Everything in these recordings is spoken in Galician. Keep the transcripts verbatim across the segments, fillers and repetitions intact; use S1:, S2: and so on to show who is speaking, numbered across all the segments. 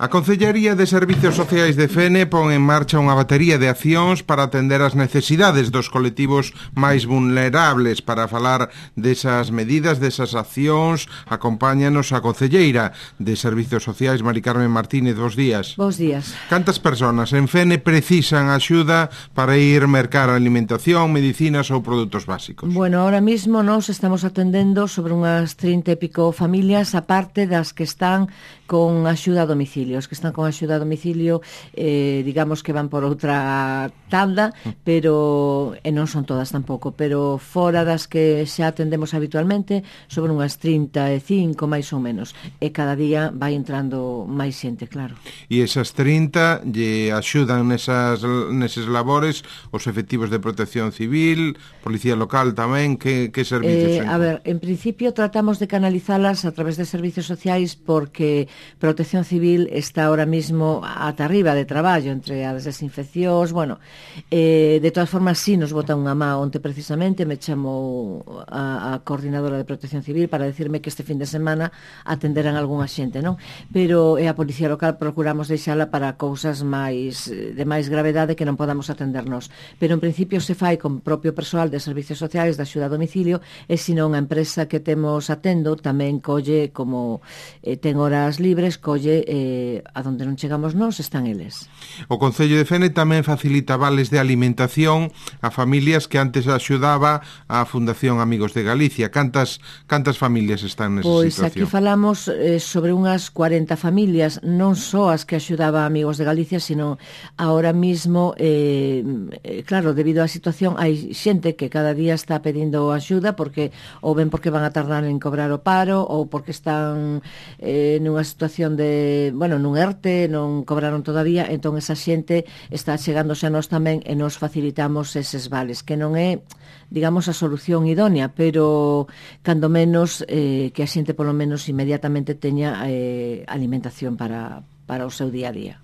S1: A Concellería de Servicios Sociais de Fene pon en marcha unha batería de accións para atender as necesidades dos colectivos máis vulnerables. Para falar desas medidas, desas accións, acompáñanos a Concelleira de Servicios Sociais, Mari Carmen Martínez. Bos días.
S2: Bos días.
S1: Cantas persoas en Fene precisan axuda para ir mercar alimentación, medicinas ou produtos básicos?
S2: Bueno, ahora mismo nos estamos atendendo sobre unhas trinta e pico familias, aparte das que están con axuda a domicilio. Os que están con axuda a domicilio, eh, digamos que van por outra tanda, pero e non son todas tampouco, pero fora das que xa atendemos habitualmente, sobre unhas trinta e cinco máis ou menos, e cada día vai entrando máis xente, claro.
S1: E esas trinta lle axudan nesas, neses labores os efectivos de protección civil, policía local tamén, que, que servicios?
S2: Eh, a ver, en principio tratamos de canalizalas a través de servicios sociais porque Protección Civil está ahora mismo ata arriba de traballo entre as desinfeccións, bueno, eh, de todas formas sí nos bota unha má onte precisamente me chamou a, a coordinadora de Protección Civil para decirme que este fin de semana atenderan algunha xente, non? Pero e a policía local procuramos deixala para cousas máis de máis gravedade que non podamos atendernos, pero en principio se fai con propio persoal de servicios sociais de axuda a domicilio e senón a empresa que temos atendo tamén colle como eh, ten horas libres, colle eh, a donde non chegamos nós están eles.
S1: O Concello de Fene tamén facilita vales de alimentación a familias que antes axudaba a Fundación Amigos de Galicia. Cantas cantas familias están nesa
S2: pois
S1: situación?
S2: Pois aquí falamos eh, sobre unhas cuarenta familias, non só as que axudaba a Amigos de Galicia, sino ahora mismo eh, eh, claro, debido á situación hai xente que cada día está pedindo axuda porque ou ben porque van a tardar en cobrar o paro ou porque están eh, nunha situación de, bueno, nun ERTE, non cobraron todavía, entón esa xente está chegándose a nós tamén e nos facilitamos eses vales, que non é, digamos, a solución idónea, pero cando menos eh, que a xente polo menos inmediatamente teña eh, alimentación para para o seu día a día.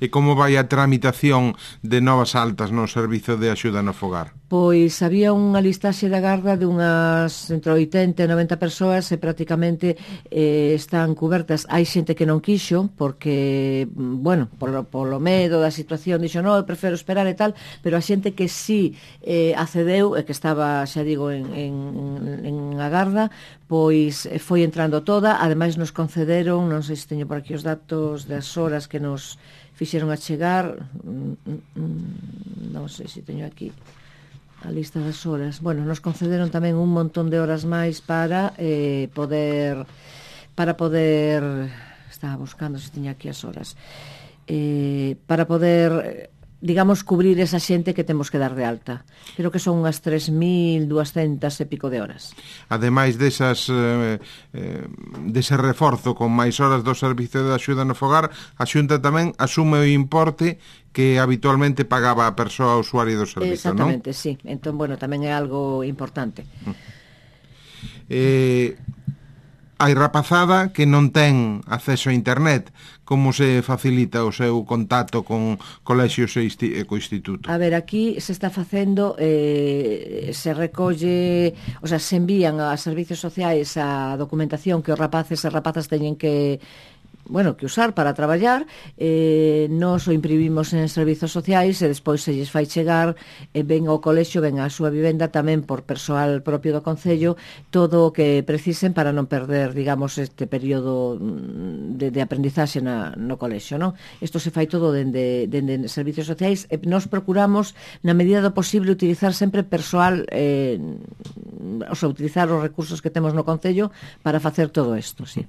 S1: E como vai a tramitación de novas altas no servizo de axuda no fogar?
S2: Pois había unha listaxe da garda de unhas entre oitenta e noventa persoas e prácticamente eh, están cubertas. Hai xente que non quixo porque, bueno, polo, polo medo da situación dixo, non, eu prefiro esperar e tal, pero a xente que sí eh, accedeu e que estaba, xa digo, en, en, en a garda, pois foi entrando toda. Ademais nos concederon, non sei se teño por aquí os datos das horas que nos fixeron a chegar, non sei se teño aquí a lista das horas. Bueno, nos concederon tamén un montón de horas máis para eh, poder para poder estaba buscando se tiña aquí as horas eh, para poder digamos, cubrir esa xente que temos que dar de alta. Creo que son unhas tres mil duascentas e pico de horas.
S1: Ademais desas eh, eh, dese reforzo con máis horas do servicio de axuda no fogar, a Xunta tamén asume o importe que habitualmente pagaba a persoa usuaria do servicio, non?
S2: Exactamente, sí. Entón, bueno, tamén é algo importante.
S1: Eh... Hai rapazada que non ten acceso a internet. Como se facilita o seu contacto con colexios e co instituto?
S2: A ver, aquí se está facendo, eh, se recolle, o sea, se envían a servicios sociais a documentación que os rapaces e rapazas teñen que bueno, que usar para traballar, eh, nos o imprimimos en servizos sociais e despois se lles fai chegar, eh, ven ao colexio, ven á súa vivenda tamén por persoal propio do Concello, todo o que precisen para non perder, digamos, este período de, de aprendizaxe na, no colexio, non? Isto se fai todo dende, dende servizos sociais e nos procuramos, na medida do posible, utilizar sempre persoal, eh, o sea, utilizar os recursos que temos no Concello para facer todo isto, sí.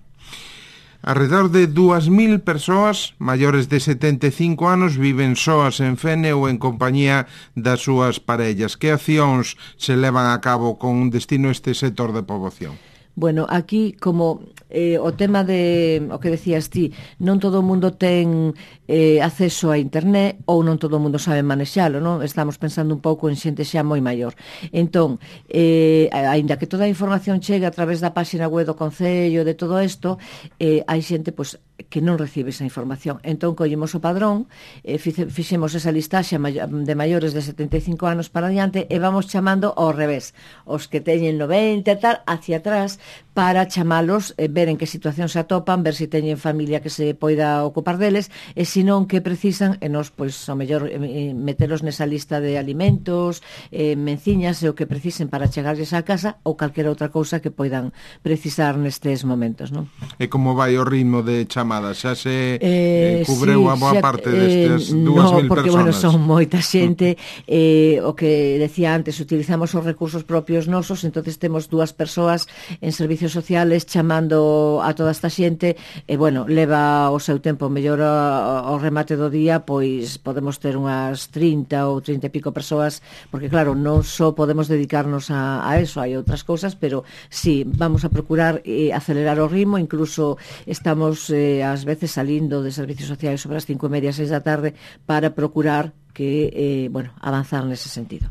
S1: Alrededor de dúas mil persoas maiores de setenta e cinco anos viven soas en Fene ou en compañía das súas parellas. Que accións se levan a cabo con destino a este sector de poboación?
S2: Bueno, aquí como eh, o tema de, o que decías ti, non todo o mundo ten eh, acceso a internet ou non todo o mundo sabe manexalo, non? Estamos pensando un pouco en xente xa moi maior. Entón, eh, aínda que toda a información chegue a través da páxina web do Concello, de todo isto, eh, hai xente, pois, que non recibe esa información. Entón, collemos o padrón, eh, fixemos esa listaxe de maiores de setenta e cinco anos para adiante e vamos chamando ao revés. Os que teñen noventa e tal, hacia atrás, para chamalos, eh, ver en que situación se atopan, ver se teñen familia que se poida ocupar deles, e se non que precisan, e nos, pois, ao mellor, eh, metelos nesa lista de alimentos, eh, menciñas e o que precisen para chegarlles á casa ou calquera outra cousa que poidan precisar nestes momentos, non?
S1: E como vai o ritmo de chamadas? Xa se eh,
S2: Eh,
S1: cubreu
S2: sí,
S1: a boa
S2: xa,
S1: parte destas
S2: eh,
S1: dúas
S2: no,
S1: mil
S2: porque,
S1: personas?
S2: bueno, son moita xente, eh, o que decía antes, utilizamos os recursos propios nosos, entonces temos dúas persoas en servicios sociales chamando a toda esta xente, e, bueno, leva o seu tempo, mellor ao remate do día, pois podemos ter unhas trinta ou trinta e pico persoas, porque, claro, non só podemos dedicarnos a, a eso, hai outras cousas, pero sí, vamos a procurar eh, acelerar o ritmo, incluso estamos eh, ás veces salindo de servicios sociais sobre as cinco e media, seis da tarde, para procurar que, eh, bueno, avanzar nese sentido.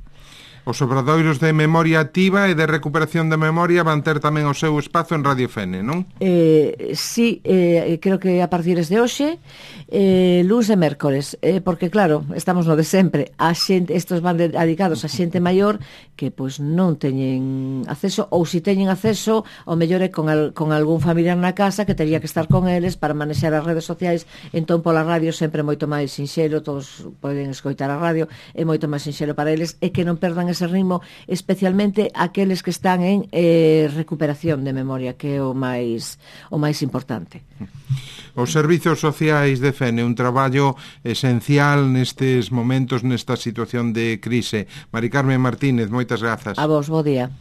S1: Os obradoiros de memoria activa e de recuperación de memoria van ter tamén o seu espazo en Radio Fene, non?
S2: Eh, sí, eh, creo que a partir de hoxe, eh, luns e mércores, eh, porque claro, estamos no de sempre, a xente, estos van dedicados a xente maior que pois non teñen acceso, ou se teñen acceso, o mellor é con, al, con algún familiar na casa que teria que estar con eles para manexar as redes sociais, entón pola radio sempre moito máis sinxelo, todos poden escoitar a radio, é moito máis sinxelo para eles, e que non perdan ese ritmo, especialmente aqueles que están en eh, recuperación de memoria, que é o máis o máis importante.
S1: Os servizos sociais de Fene, un traballo esencial nestes momentos, nesta situación de crise. Mari Carmen Martínez, moitas grazas.
S2: A vos, bo día.